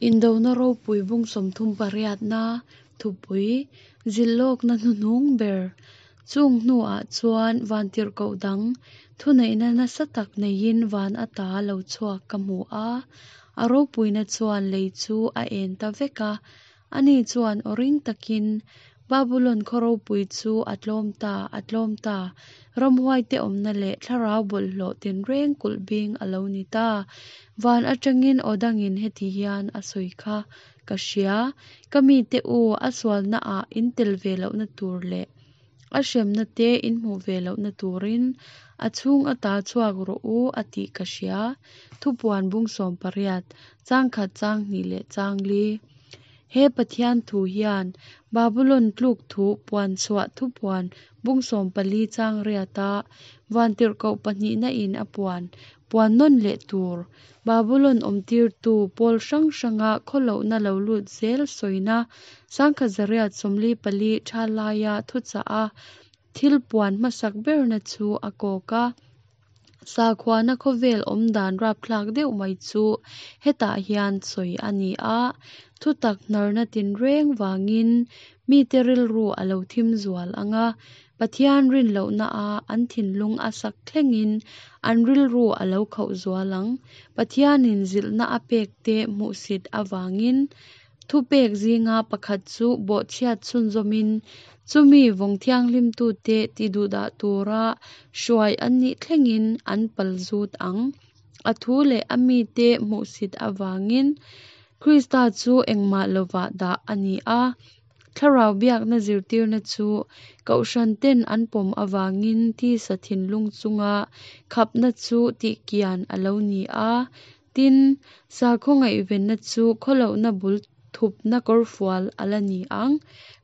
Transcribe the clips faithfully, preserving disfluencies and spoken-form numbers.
Indona ropui bung sawmthum pariatna thupui zilhlawkna hnuhnung ber chung hnuah chuan vantirhkoh dang thuneihna nasa tak neiin van ata lo chhuak ka hmu a, a ropuina chuan lei chu a en ta vek a. Ani chuan aw ring takin, Babulon khaw ropui chu a tlawm ta, a tlawm ta, ramhuaite awmna leh thlarau bawlhhlawh tinreng kulh bing a lo ni ta. Van atangin aw dangin heti hian a sawi kha ka hria, Ka mite u, a sualnaah in tel ve lohna tur leh a hremna te in hmuh ve lohna turin a chhung ata chhuak rawh u, a tih ka hria. Thupuan bung sawm pariat, chang khat chang hnih leh chang li. He Pathian thu hian Babulon tluk thu puan chhuah thupuan bung sawm pali chang riata vantirhkoh pahnihna in a puan puan nawn leh tur Babulon awmtirtu pawl hrang hranga khawlohna lo lut zel sawina sangkhat zariat sawmli pali tha laia thuchah a thil puan hmasak berna chu a kawk a. Sakhuana khawvel awm dan rapthlak deuh mai chu hetah hian sawi a ni a. Thutak hnarna tinreng vangin mite rilru a lo thim zual ang a, Pathian rin lohna a an thinlung a sak thlengin an rilru a lo khauh zual ang. Pathianin zilhna a pekte hmuhsit avangin thupek zinga pakhat chu bawhchhiat chhunzawmin chumi vawng thianghlimtute tiduhdah tura hruai an nih thlengin an palzut ang. A thu leh a mite hmuhsit avangin Krista chu engmah lovah dah a ni a. Thlarau biakna zirtirna chu kohhran ten an pawm avangin tisa thinlung chunga khapna chu tihkian a lo ni a. Tin, sakhaw ngaihvenna chu khawlohna bul thupna kawrfual a la ni ang.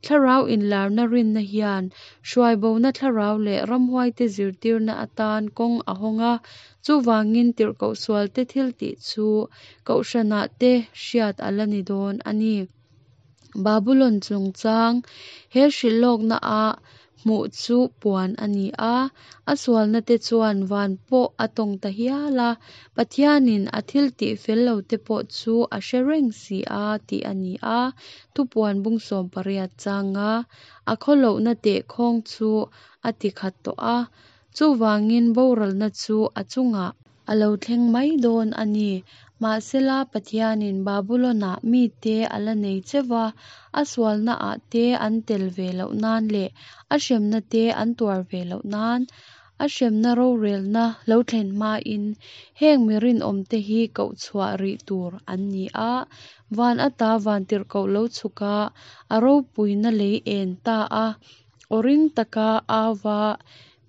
Thlarau inlarna rinna hian hruaibona thlarau leh ramhuaite zirtirna atan kawng a hawng a, chuvangin tirhkoh sualte thiltih chu kohhranah te hriat a la ni dawn a ni. Babulon chungchang he hrilhlawkna a hmuh chu puan a ni a, a sualna te chuan van pawh a tawng ta hial a, Pathianin a thiltih fel lo te pawh chu a hre reng si a tih a ni a. Thupuan bung sawm pariat changa a khawlohna tehkhawng chu a ti khat tawh a, chuvangin boralna chu a chungah a lo thleng mai dawn a ni. Mahsela Pathianin Babulon-ah mite a la nei cheu a, a sualnaah te an tel ve loh nan leh a hremna te an tuar ve loh nan, a hremna rorelna lo thlen hmain heng mi rinawmte hi koh chhuah rih tur an ni a. Van ata vantirhkoh lo chhuk a, a ropuina lei en ta a, aw ring taka au va,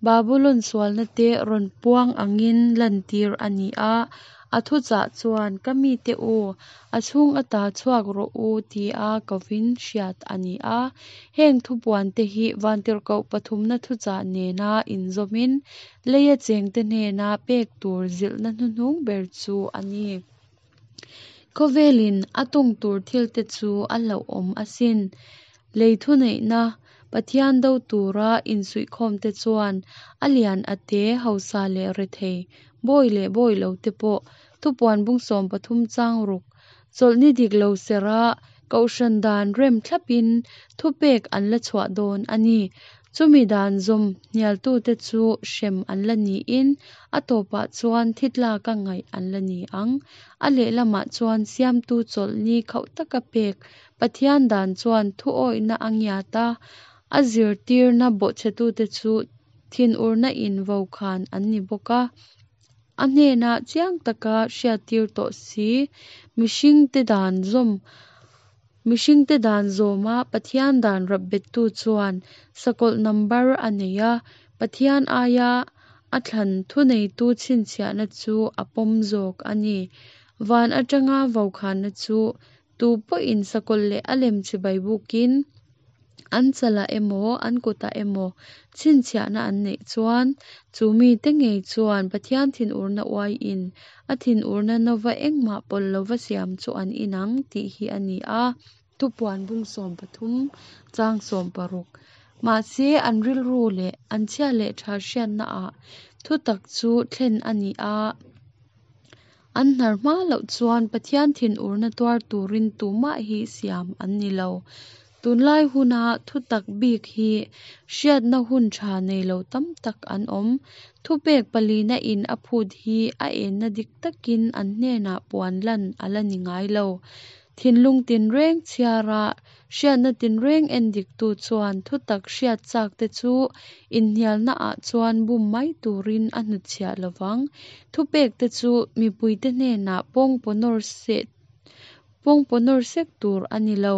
Babulon sualna te rawn puang angin lantir a ni a. A thuchah chuan, Ka mite u, a chhung ata chhuak rawh u, tia kovin hriat a ni a. Heng thupuante hi vantirhkoh pathumna thuchah nena inzawmin leia chengte hnena pek tur zilhna hnuhnung ber chu a ni. Khawvelin a tawng tur thilte chu a hlauhawm asin. Lei thuneihna Pathian do tura insuihkhawmte chuan a lian a te, hausa leh rethei, bawi leh bawi lo te pawh thupuan bung sawm pathum chang ruk chawlhni dik lo serh a kohhran dan rem thlapin thupek an la chhuah dawn a ni. Chumi dan zawm hnialtute chu hrem an la niin a tawpah chuan thi tlaka ngaih an la ni ang. A lehlamah chuan siamtu chawlhni khauh taka pek Pathian dan chuan thu awihna a ngiat a, a zirtirna bawhchhetute chu thinurna in vokhan an ni bawk a. A hnena chiang taka hriattir tawh si, mihringte dan zawm mihringte dan zawma Pathian dan rapbettu chuan sakawlh number a nei a, Pathian aia a thlan thuneitu chhinchhiahna chu a pawm zawk a ni. Van atanga vokhanna chu tu pawhin sakawlh leh a lem chibai bukin an chalah emaw an kutah emaw chhinchhiahna an neih chuan chu mite ngei chuan Pathian thinurna uaiin a thinurna nova engmah pawlh lova siam chu an inang tih hi a ni a. Thupuan bung sawm pathum chang sawm paruk. Mahse an rilru leh an chhia leh tha hriatnaah thutak chu thlen a ni a. an hnar hma loh chuan Pathian thinurna tuar turin tumah hi siam an ni lo. Tunlai huna thutak bik hi hriatna hun tha nei lo tam tak an awm. Thupek palina in a phut hi a enna dik takin an hnenah puan lan a la ni ngai lo. Thinlung tinreng chhiara hriatna tinreng endiktu chuan thutak hriat chakte chu inhnialnaah chuan bum mai turin a hnutchhiah lovang. Thupekte chu mipuite hnenah pawngpaw nawr sek tur a ni lo.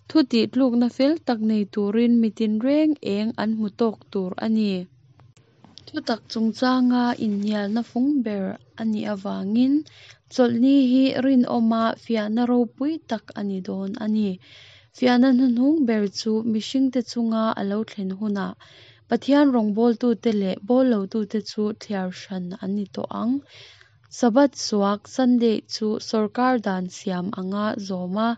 Thu tihtlukna fel tak nei turin mi tinreng eng an hmu tawk tur a ni. Thutak chungchanga inhnialna fung ber a nih avangin Chawlhni hi rinawma fiahna ropui tak a ni dawn a ni. Fiahna hnuhnung ber chu mihringte chunga a lo thlen hunah Pathian rawngbawltute leh bawllotute chu thliar hran an ni tawh ang. Sabbath suak Sunday chu sawrkar dan siam anga zawm a,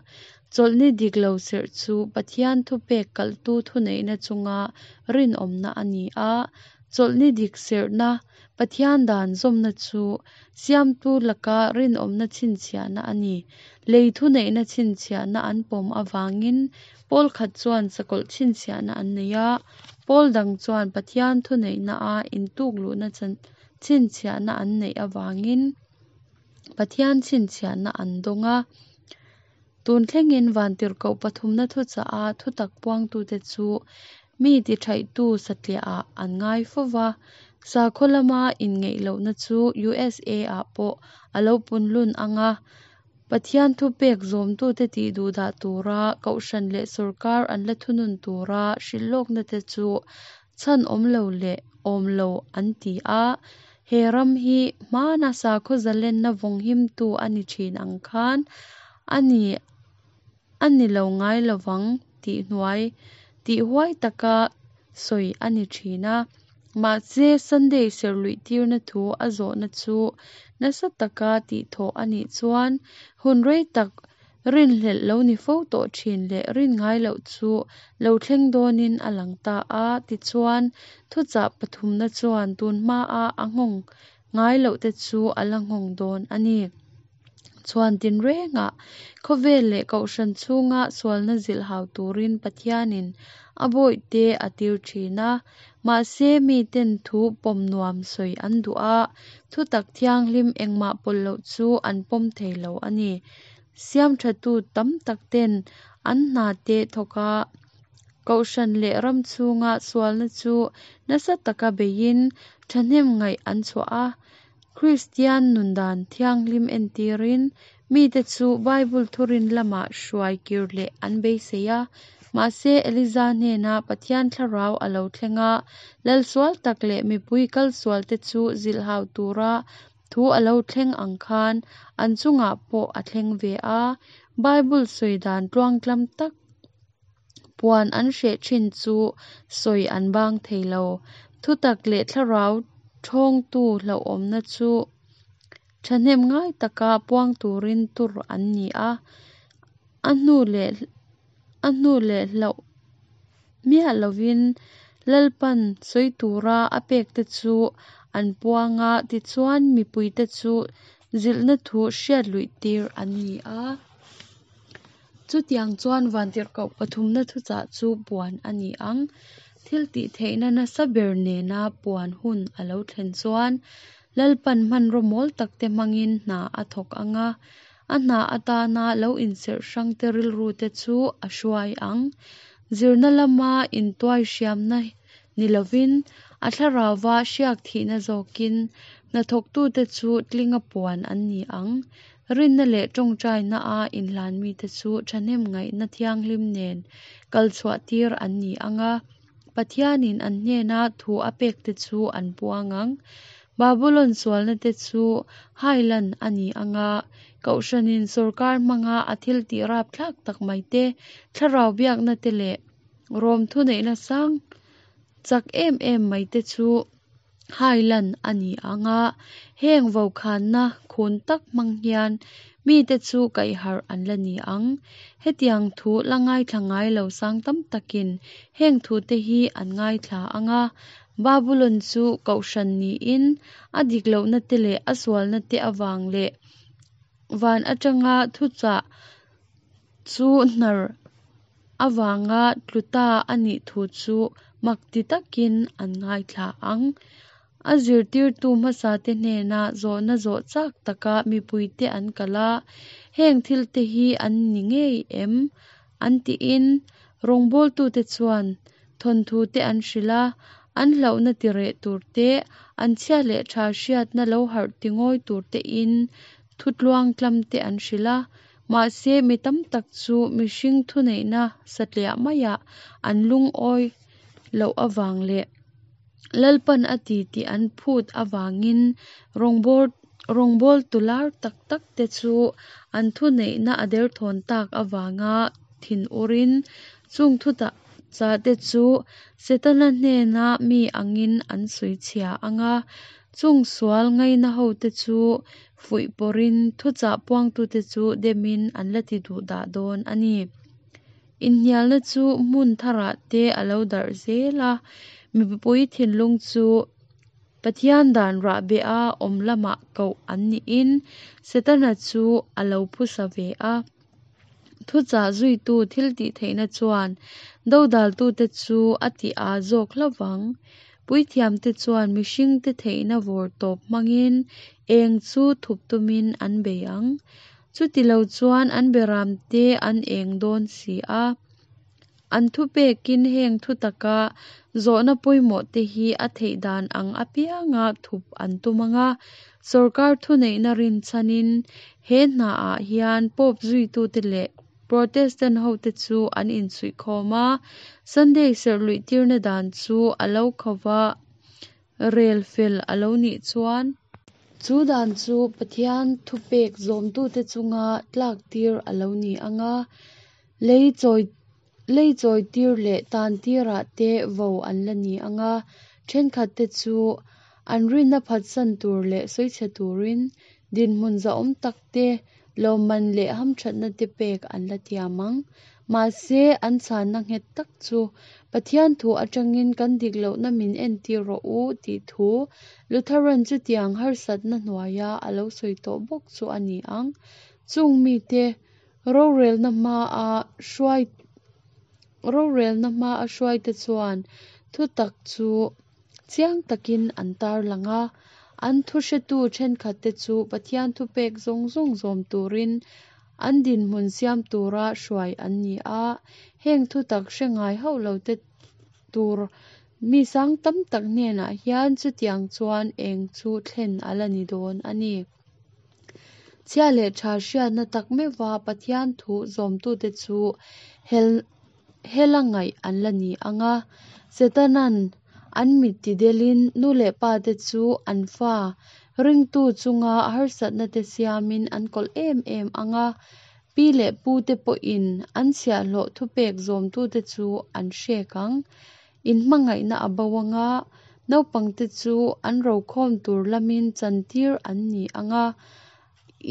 Chawlhni dik lo serh chu Pathian thupek kalhtu thuneihna chunga rinawmna a ni a. Chawlhni dik serhna, Pathian dan zawmna chu Siamtu laka rinawmna chhinchhiahna a ni. Lei thuneihna chhinchhiahna an pawm avangin pawl khat chuan sakawlh chhinchhiahna an nei a, pawl dang chuan Pathian thuneihnaa intukluhna chhinchhiahna an neih avangin Pathian chhinchhiahna an dawng a. Tun thlengin vantirhkoh pathumna thuchah a thutak puangtute chu mi tithaihtu satliahah an ngai fova. Sakhaw lama inngeih lohna chu U S A-ah pawh a lo punlun anga Pathian thupek zawmtute tihduhdah tura kohhran leh sawrkar an la thunun tura hrilhlawkna te chu chhan awm lo leh awm lo an ti a. He ram hi hmana sakhaw zalenna vawnghimtu a ni thin ang khan a ni a ni lo ngai lovang tih hnuai tih huai taka sawi a ni thin a. Mahse Sunday serhluih tirna thu a zawhna chu nasa taka tihthawh a nih chuan hun rei tak rinhlelh lo ni fo tawh thin leh rin ngai loh chu lo thleng dawnin a lang ta a. Tichuan thuchah pathumna chuan tun hmaa a nghawng ngai loh te chu a la nghawng dawn a ni. Chhuan tinrengah khawvel leh kohhran chhunga sualna zilhhau turin Pathianin a bawihte a tir thin a. Mahse miten thu pawm nuam sawi an duh a, thutak thianghlim engmah pawlh loh chu an pawm thei lo a ni. Siam thatu tam tak ten an hna te thawka kohhran leh ram chhunga sualna chu nasa taka beiin thahnem ngaih an chhuah a. Kristian nundan thianghlim entirin mite chu Bible thurin lama hruai kir leh an beisei a. Mahse Eliza hnena Pathian thlarau a lo thlenga lal sual tak leh mipui kal sual te chu zilhhau tura thu a lo thleng ang khan an chungah pawh a thleng ve a. Bible sawi dan tluangtlam tak puan an hreh thin chu sawi an bang thei lo. Thutak leh thlarau thawngtu hlauhawmna chu thahnem ngai taka puang turin tur an ni a. A hnu leh a hnu leh hlauh miah lovin Lalpan sawi tura a pek te chu an puanga tichuan mipuite chu zilhna thu hriat luih tir an ni a. Chutiang chuan vantirhkoh pathumna thuchah chu puan a ni ang. Thil tihtheihna nasa ber nena puan hun a lo thlen chuan Lalpan hmanraw mawl takte hmangin hna a thawk anga. A hna atana lo inserh hrangte rilru te chu a hruai ang. Zirna lama intuai hriamna ni lovin a thlarauva hriak thihna zawkin hnathawktute chu tlinga puan an ni ang. Rinna leh tawngtaina a inhlan mite chu thahnem ngaihna thianghlim nen kal chhuah tir an ni anga. Pathianin an hnena thu a pek te chu an puang ang. Babylon sualna te chu hailan a ni anga. Kohhranin sawrkar hmanga a thil tih rapthlak tak mai te, thlarau biakna te leh rawm thuneihna sang chak em em mai te chu hailan a ni anga. Heng vokhanna khun tak hmang hian mite chu kaihharh an la ni ang. Hetiang thu la ngaithla ngai lo sang tam takin heng thu te hi an ngaithla anga. Babulon chu kohhran niin, a dik lohnate leh a sualnate avang leh van atanga thuchah chu hnar avanga tlu ta a nih thu chu mak ti takin an ngaithla ang. A zirtirtu hmasate hnena zawhna zawh chak taka mipuite an kal a, heng thilte hi an ni ngei em? An tiin rawngbawltute chuan thawnthute an hrilh a, an hlauhna tireh tur te, an chhia leh tha hriatna lo harh tingawi turtein thu tluangtlamte an hrilh a. Mahse, mi tam tak chu mihring thuneihna satliah maiah an lungawi loh avang leh Lalpan a ti tih an phut avangin rawngbawltu lar tak takte chu an thuneihna a derthawn tak avanga thinurin chung thuchahte chu Setana hnena mi angin an sawichhia ang a, chung sual ngainahote chu fuihpawrhin thuchah puangtute chu demin an la tiduhdah dawn a ni. Inhnialna chu hmun tharah te a lo darh zel a, mipui thinlung chu Pathian dan rahbeha awm lamah koh an niin Setana chu a lo phusa ve a. Thuchah zuitu thiltihtheihna chuan dodaltute chu a ti â zawk hlauh vang. Puithiamte chuan mihringte theihna vawr tawp hmangin eng chu thup tumin an bei ang. Chutilo chuan an beramte an eng dawn si a. An thupekin heng thutaka zawhna pawimawhte hi a theih dan ang apianga thup an tum ang a, sawrkar thuneihna rinchhanin he hnaah hian Pope zuitute leh Protestant hote chu an insuihkhawm a, Sunday serh luihtirna dan chu a lo khauva rel fel a lo nih chuan chu dan chu Pathian thupek zawmtute chunga tlaktir a lo ni ang a, lei chawi lei chawitir leh tantirah te vo an la ni ang a, thenkhatte chu an rinna phatsan tur leh sawichhe turin dinhmun zahawm tak te, lawmman leh hamthatna te pek an la tiam ang. Mahse, an chhanna nghet tak chu Pathian thu atangin kan dik lohna min entir rawh u tih thu Lutheran chutiang harsatna hnuaia a lo sawi tawh bawk chu a ni ang. Chung mite rorelna hmaa hruai rorelna hmaa hruaite chuan thutak chu chiang takin an tarlang a, an thuhretu thenkhatte chu Pathian thupek zawng zawng zawm turin an dinhmun siam tura hruai an ni a, heng thutak hre ngai hauh lote tur mi sang tam tak hnenah hian chutiang chuan eng chu thlen a la ni dawn a ni. Chhia leh tha hriatna tak meuhva Pathian thu zawmtute chu hel hela ngaih an la ni ang a, Setanan an mit tidelin nu leh pate chu an fa ringtu chunga harsatna te siamin an kawlh em em ang a, pi leh pute pawhin an chhiahhlawh thupek zawmtute chu an hrek ang. Inhmangaihna a bo ang a, naupangte chu an rokhawm tur lamin chantir an ni ang a,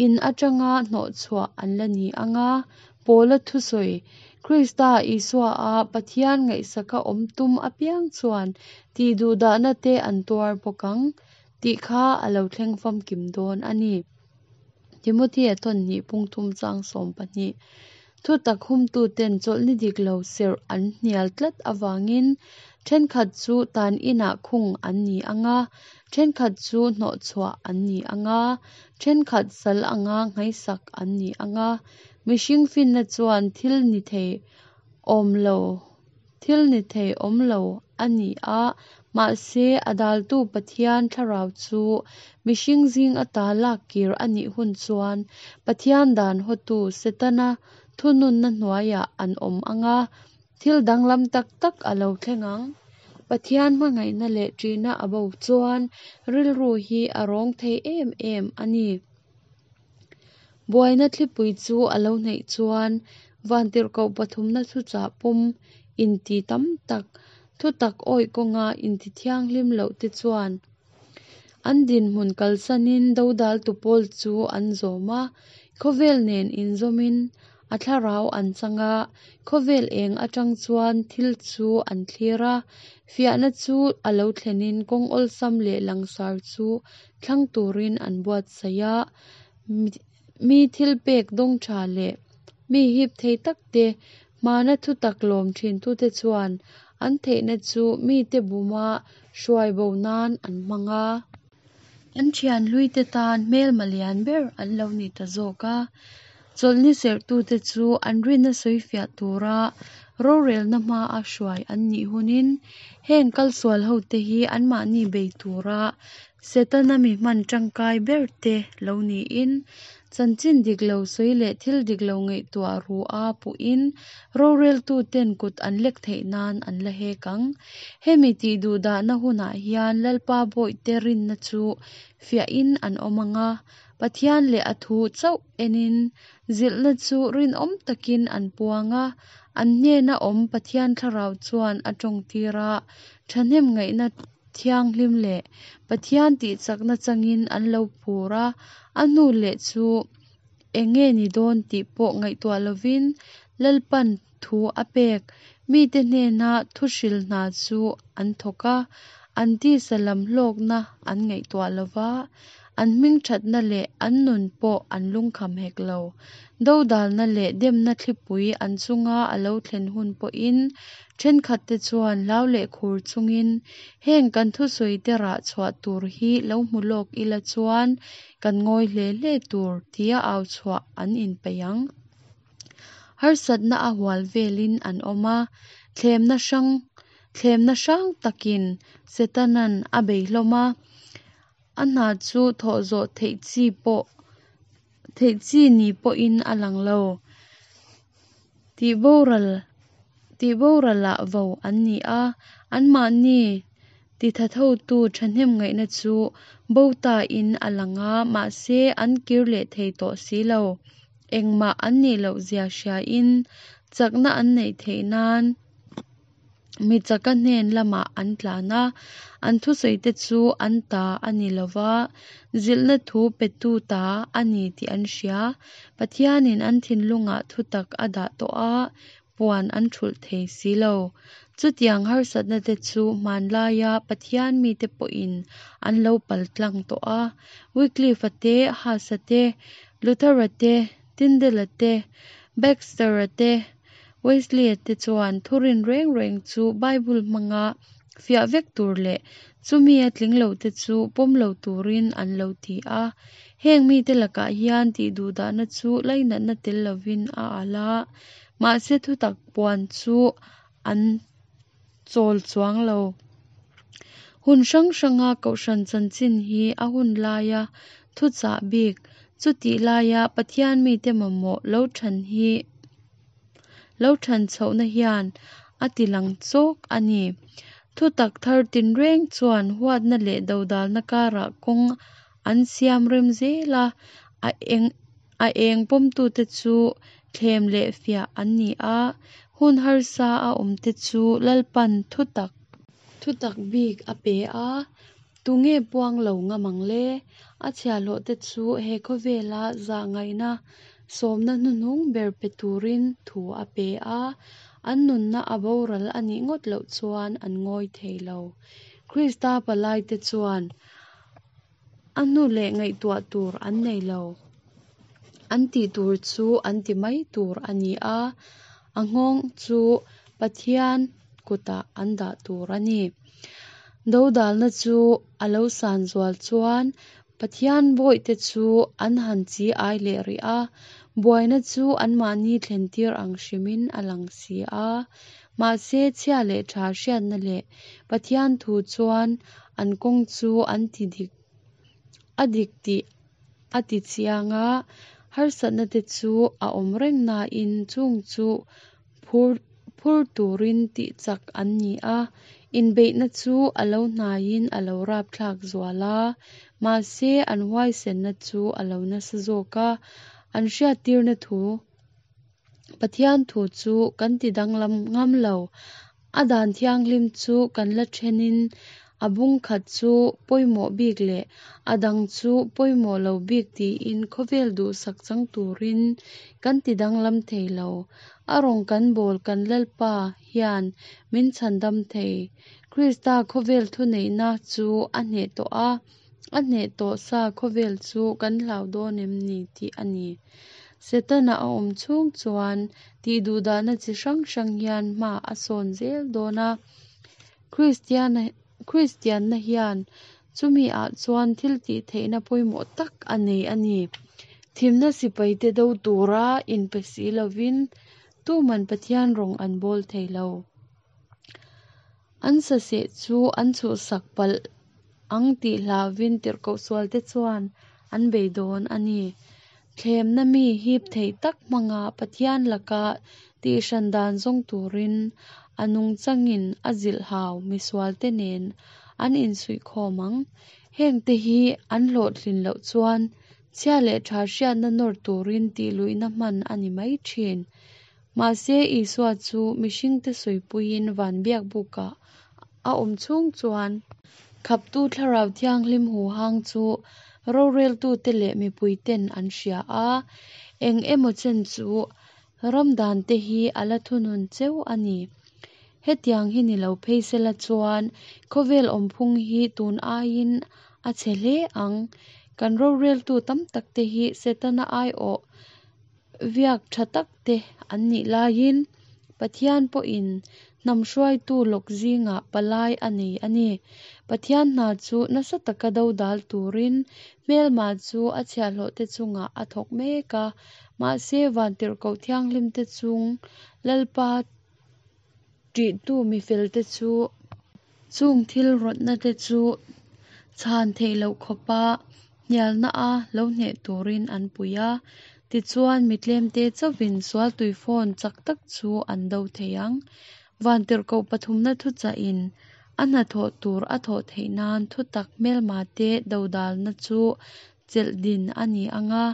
in atanga hnawhchhuah an la ni ang a, Paula thusawi Krista Isua a Pathian ngaihsaka awm tum apiang chuan tihduhdahna te an tuar bawk ang tih kha a lo thleng famkim dawn a ni. Timothea thawn hnih bung thum chang sawm pahnih. Thutak humtuten chawlhni dik lo serh an hnial tlat avangin thenkhat chu tan inah khung an ni ang a, thenkhat chu hnawhchhuah an ni ang a, thenkhat sal anga nghaisak an ni ang a, mihring finna chuan thil ni thei awm lo thil ni thei awm lo a ni a, mahse a daltu Pathian thlarau chu mihring zing ata lak kir a nih hun chuan Pathian dan hawtu Setana thununna hnuaiah an awm ang a, thil danglam tak tak a lo thleng ang. Pathian hmangaihna leh ṭihna a bo chuan rilru hi a rawng thei em em a ni. Buaina thlipui chu a lo hnaih chuan vantirhkoh pathumna thuchah pawm inti tam tak, thutak awih kawnga intithianghlim lohte chuan an dinhmun kalsanin dodaltu pawl chu an zawm a, khawvel nen inzawmin a thlarau an chang a, khawvel eng atang chuan thil chu an thlir a. Fiahna chu a lo thlenin kawng awlsam leh langsar chu thlang turin an buatsaih a. Mi thilpek dawng tha leh mi hip thei takte, hmana thutak lawm thintute chuan an theihna chu mite buma hruai bo nan an hmang a. An thian hluite tan hmelma lian ber an lo ni ta zawk a. Chawlhni serhtute chu an rinna sawifiah tura rorelna hmaa hruai an nih hunin heng kalsual hote hi anmahni bei tura Setana mi hman tangkai berte lo niin chanchin dik lo sawi leh thil dik lo ngaihtuah ru a puhin roreltuten kut an lek theih nan an la hek ang. Hemi tihduhdahna hunah hian Lalpa bawihte rinna chu fiahin an awm ang a, Pathian leh a thu chauh enin zilhna chu rinawm takin an puang a, an hnena awm Pathian thlarau chuan a tawngtir a, thahnemngaihna thianghlim leh Pathian tihchakna changin an lo phur a, a hnu leh chu enge ni dawn tih pawh ngaihtuah lovin Lalpan thu a pek mite hnena thu hril hna chu an thawk a, an tisa lam hlawkna an ngaihtuah lova, an hmingthatna leh an nun pawh an lungkham hek lo. Dodalna leh demna thlipui an chunga a lo thlen hun pawhin thenkhatte chuan hlau leh khur chungin heng kan thusawite rah chhuah tur hi lo hmu lawk ila chuan kan ngawi hle hle tur tia au chhuah an inpeih ang. Harsatna a hual velin an awm a, thlemna hrang thlemna hrang takin Setanan a bei hlawm a, a hna chu thawh zawh theih chi pawh theih chi ni pawhin a lang lo. Tihboral tihboralah vo an ni a, anmahni tithathotu thahnemngaihna chu bo tain a lang a, mahse an kir leh thei tawh si lo. Engmah an nih loh zia hriain chakna an neih theih nan mi chaka hnen lamah an tlan a, an thusawite chu an ta a ni lova, zilhna thu petu ta a ni tih an hria. Pathianin an thinlungah thutak a dah tawh a, puan an thulh thei si lo. Chutiang harsatna te chu hmanlaia Pathian mite pawhin an lo paltlang tawh a. Wycliffe-a te, Huss-a te, Luther-a te, Tyndale-a te, Baxter-a te, Wesley-a te chuan thurin reng reng chu Bible hmanga fiah vek tur leh chumi a tling lo te chu pawm lo turin an lo ti a. Heng mite lakah hian tihduhdahna chu lainatna tel lovin a alh a, mahse thutak puan chu an chawl chuang lo. Hun hrang hranga kohhran chanchin hi a hun laia thuchah bik, chutih laia Pathian mite mamawh lo than hi lo than chhohna hian a tilang chawk a ni. Thutak thar tinreng chuan huatna leh dodalna karah kawng an siam rem zel a, a eng a eng pawmtute chu thlem leh fiah an ni a, hun harsa a awmte chu Lalpan thutak thutak bik a pe a, tunge puang lo ngam ang le? A chhiahhlawhte chu he khawvela zahngaihna sawmna hnuhnung ber pe turin thu a pe a, an nunna a boral a nih ngawt loh chuan an ngawi thei lo. Krista palaite chuan a hnu leh ngaihtuah tur an nei lo. An tih tur chu an ti mai tur a ni a, a nghawng chu Pathian kutah an dah tur a ni. Dodalna chu a lo san zual chuan Pathian bawihte chu an han chi ai leh rih a, buaina chu anmahni thlentir ang hrimin a lang si a. Mahse chhia leh tha hriatna leh Pathian thu chuan an kawng chu an ti dik a dik tih a ti chiang a, harsatna te chu a awm reng nain chung chu phur phur turin tihchak an ni a, inbeihna chu a lo hnaiin a lo rapthlak zual a, mahse an huaisenna chu a lo nasa zawk a, an hriattirna thu Pathian thu chu kan tidanglam ngam lo. A dan thianghlim chu kan la thenin A bung khat chu pawimawh bik leh a dang chu pawimawh lo bik tiin khawvel duhsak chang turin kan tidanglam thei lo. A rawng kan bawl kan Lalpa hian min chhandam thei. Krista khawvel thuneihna chu a hneh tawh a, a hneh tawh sa khawvel chu kan hlau dawn em ni tih a ni. Setana a awm chhung chuan tihduhdahna chi hrang hrang hian hma a sawn zel dawn a. Kristianna hian chumi ah chuan thiltihtheihna pawimawh tak a nei a ni. Thimna sipaite do tura inpe si lovin tuman Pathian rawng an bawl thei lo. An saseh chu an chhuhsak palh ang tih hlauvin tirhkoh sualte chuan an bei dawn a ni. Thlemna mi hip thei tak hmanga Pathian laka tihhran dan zawng turin a nungchangin a zilhhau misualte nen an insuihkhawm ang. Hengte hi an hlawhtlin loh chuan chhia leh tha hriatna nawr turin tihluihna hman a ni mai thin. Mahse Isua chu mihringte sawipuiin van biakbukah a awm chhung chuan khaptu Thlarau Thianghlim huhang chu roreltute leh mipuiten an hria a. Eng emaw chen chu ram dante hi a la thunun cheu a ni. Hetiang hi ni lo phei sela chuan khawvel awmphung hi tun aiin a chhe hle ang. Kan roreltu tam takte hi Setana aiawh viak tha takte an nih laiin Pathian pawhin hnam hruaitu lawk zingah palai a nei a ni. Pathian hna chu nasa taka dodal turin hmelma chu a chhiahhlawhte chungah a thawk mek a. Mahse vantirhkoh thianghlimte chung Lalpa ṭihtu mifelte chu chung thil rawtna te chu chhan theih loh khawpa hnialna a lo hneh turin an pui a. Tichuan mi tlemte chauhin sual tuifawn chak tak chu an do thei ang. Vantirhkoh pathumna thuchahin a hnathawh tur a thawh theih nan thutak hmelmate dodalna chu chelh din a ni anga.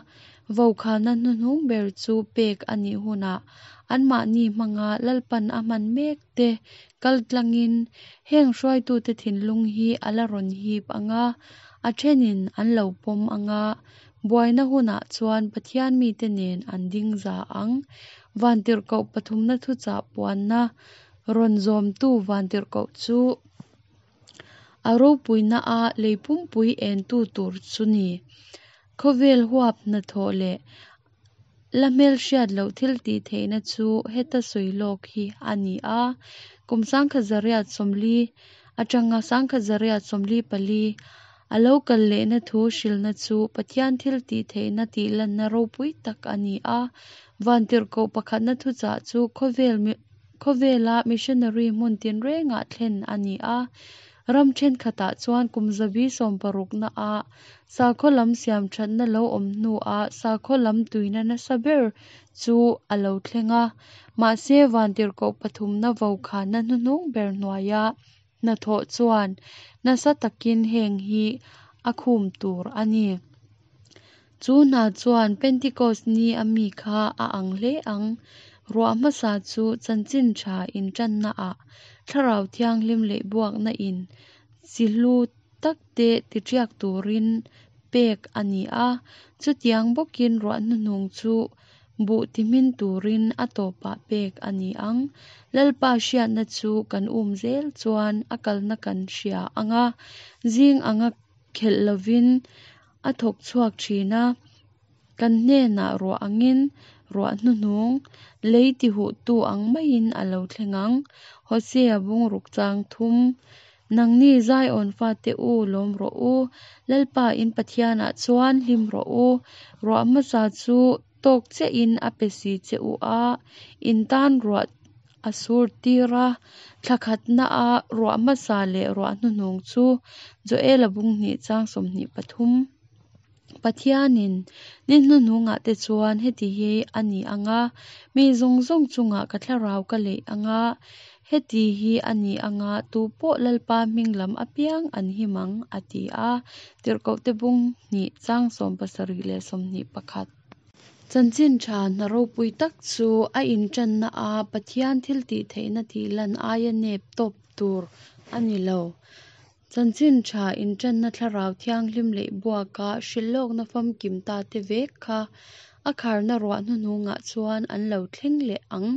Vaukhana hnuhnung ber chu pek a nih hunah anmahni hmanga Lalpan a hman mek te kaltlangin heng hruaitute thinlung hi a la rawn hip anga, a thenin an lo pawm anga, buaina hunah chuan Pathian mite nen an ding za ang. Vantirhkoh pathumna thuchah puanna rawn zawmtu vantirhkoh chu a ropuina a lei pumpui entu tur chu ni. Khawvel huap hnathawh leh la hmelhriat loh thil tihtheihna chu heta sawi lawk hi a ni a. Kum sangkhat zariat sawmli atanga sangkhat zariat sawmli pali a lo kal lehna thu hrilna chu Pathian thil tihtheihna tihlanna ropui tak a ni a. Vantirhkoh pakhatna thuchah chu khawvel khawvela missionary hmun tinrengah thlen a ni a. Ram thenkhatah chuan kum zabi sawmparukna a sakhaw lam siam thatna lo awm hnuah sakhaw lam tuina nasa ber chu a lo thleng a. Mahse vantirhkoh pathumna vaukhana hnuhnung ber hnuaia hnathawh chuan nasa takin heng hi a khum tur a ni. Chu hna chuan Pentecost ni a mi kha a ang hle ang. Ruah hmasa chu chanchin tha intanna ah Thlarau Thianghlim leh buakna in chi hlu takte tiṭiak turin pek a ni a. Chutiang bawkin ruah hnuhnung chu buh tihmin turin a tawpah pek a ni ang. Lalpa hriatna chu kan um zel chuan a kalna kan hria anga, zing anga khelh lovin a thawk chhuak thin a. Kan hnenah ruah angin ruah hnuhnung lei tihuhtu ang maiin a lo thleng ang. Hosea bung ruk chang thum. Nangni Zion fate u lawm rawh u, Lalpa in Pathianah chuan hlim rawh u. Ruah hmasa chu tawk chiahin a pe si che u a, in tan ruah a sur tir a. Thla khatna a ruah hmasa leh ruah hnuhnung chu Joela bung hnih chang sawmhnih pathum. Pathianin ni hnuhnungah te chuan heti hi a ni anga, mi zawng zawng chungah ka thlarau ka leih anga, heti hi a ni anga tupawh Lalpa hming lam apiang an him ang a ti a. Tirhkohte bung hnih chang sawm pasarih leh sawmhnih pakhat. Chanchin tha hna ropui tak chu a intanna a Pathian thil tihtheihna tihlan aia nep tawp tur a ni lo. Chanchin Ṭha inṭanna Thlarau Thianghlim leihbuaka hrilhlawkna famkim tate vek kha a kharna ruah hnuhnungah chuan an lo thleng leh ang.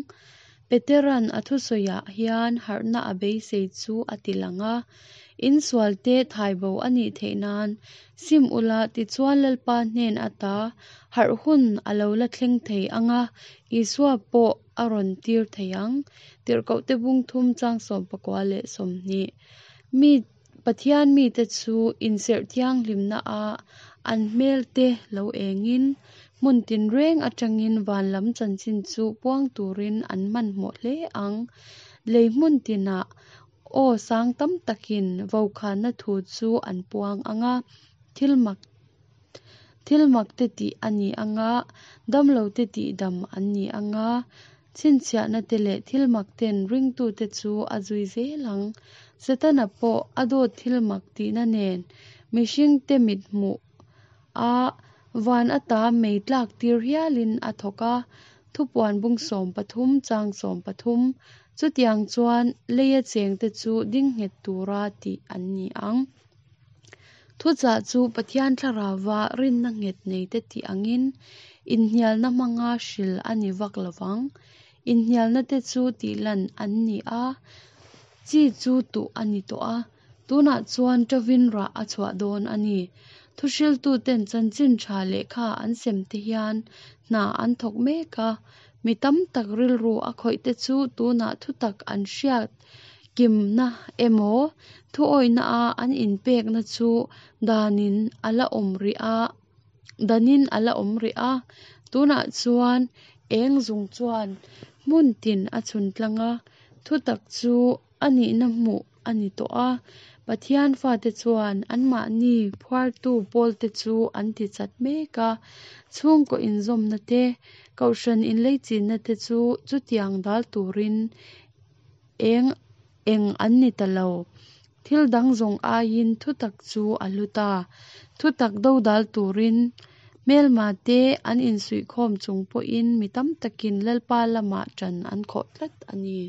Petera'n a thusawiah hian harhna a beisei chu a tilang a. In sualte thaibo a nih theih nan sim ula, tichuan Lalpa hnen ata harh hun a lo la thleng thei ang a, Isua pawh a rawn tir thei ang. Tirhkohte bung thum chang sawm pakua leh sawmhnih. Mi Pathian mite chu inserh thianghlimna a an hmelte lo engin, hmun tinreng atangin van lam chanchin chu puang turin an hmanhmawh hle ang. Lei hmun tinah aw sang tam takin vaukhana thu chu an puang ang a, thil mak thil makte tih a ni ang a, damlote tihdam an ni ang a, chhinchhiahnate leh thil makten ringtute chu a zui zel ang. Setana pawh a dawt thil mak tihna nen mihringte mithmuh a van ata mei tlak tir hialin a thawk a, Thupuan bung sawm pathum chang sawm pathum. Chutiang chuan leia chengte chu ding nghet tura tih an ni ang. Thuchah chu Pathian Thlarauva rinna nghet neite tih angin inhnialna hmanga hril a ni vak lovang. Inhnialnate chu tihlan an ni a, chi chu tuh a ni tawh a, tunah chuan ṭovin rah a chhuah dawn a ni. Thuhriltuten chanchin ṭha lehkha an semte hian hna an thawk mek a, mi tam tak rilru a khawihte chu tunah thutak an hriat kimna emaw thuawihna a an inpekna chu danin a la awm rih a, danin a la awm rih a. Tunah chuan eng zung chuan hmun tin a chhun tlang a, thutak chu a nihna hmuh a ni tawh a. Pathian fate chuan anmahni phuartu pawlte chu an tichat mek a, chhungkaw inzawmna te, kohhran inleichina te chu chutiang dal turin eng eng an ni ta lo. Thil dang zawng aiin thutak chu a hlu ta. Thutak dodal turin hmelmate an insuihkhawm chung pawhin mi tam takin Lalpa lamah ṭan an khawh tlat a ni.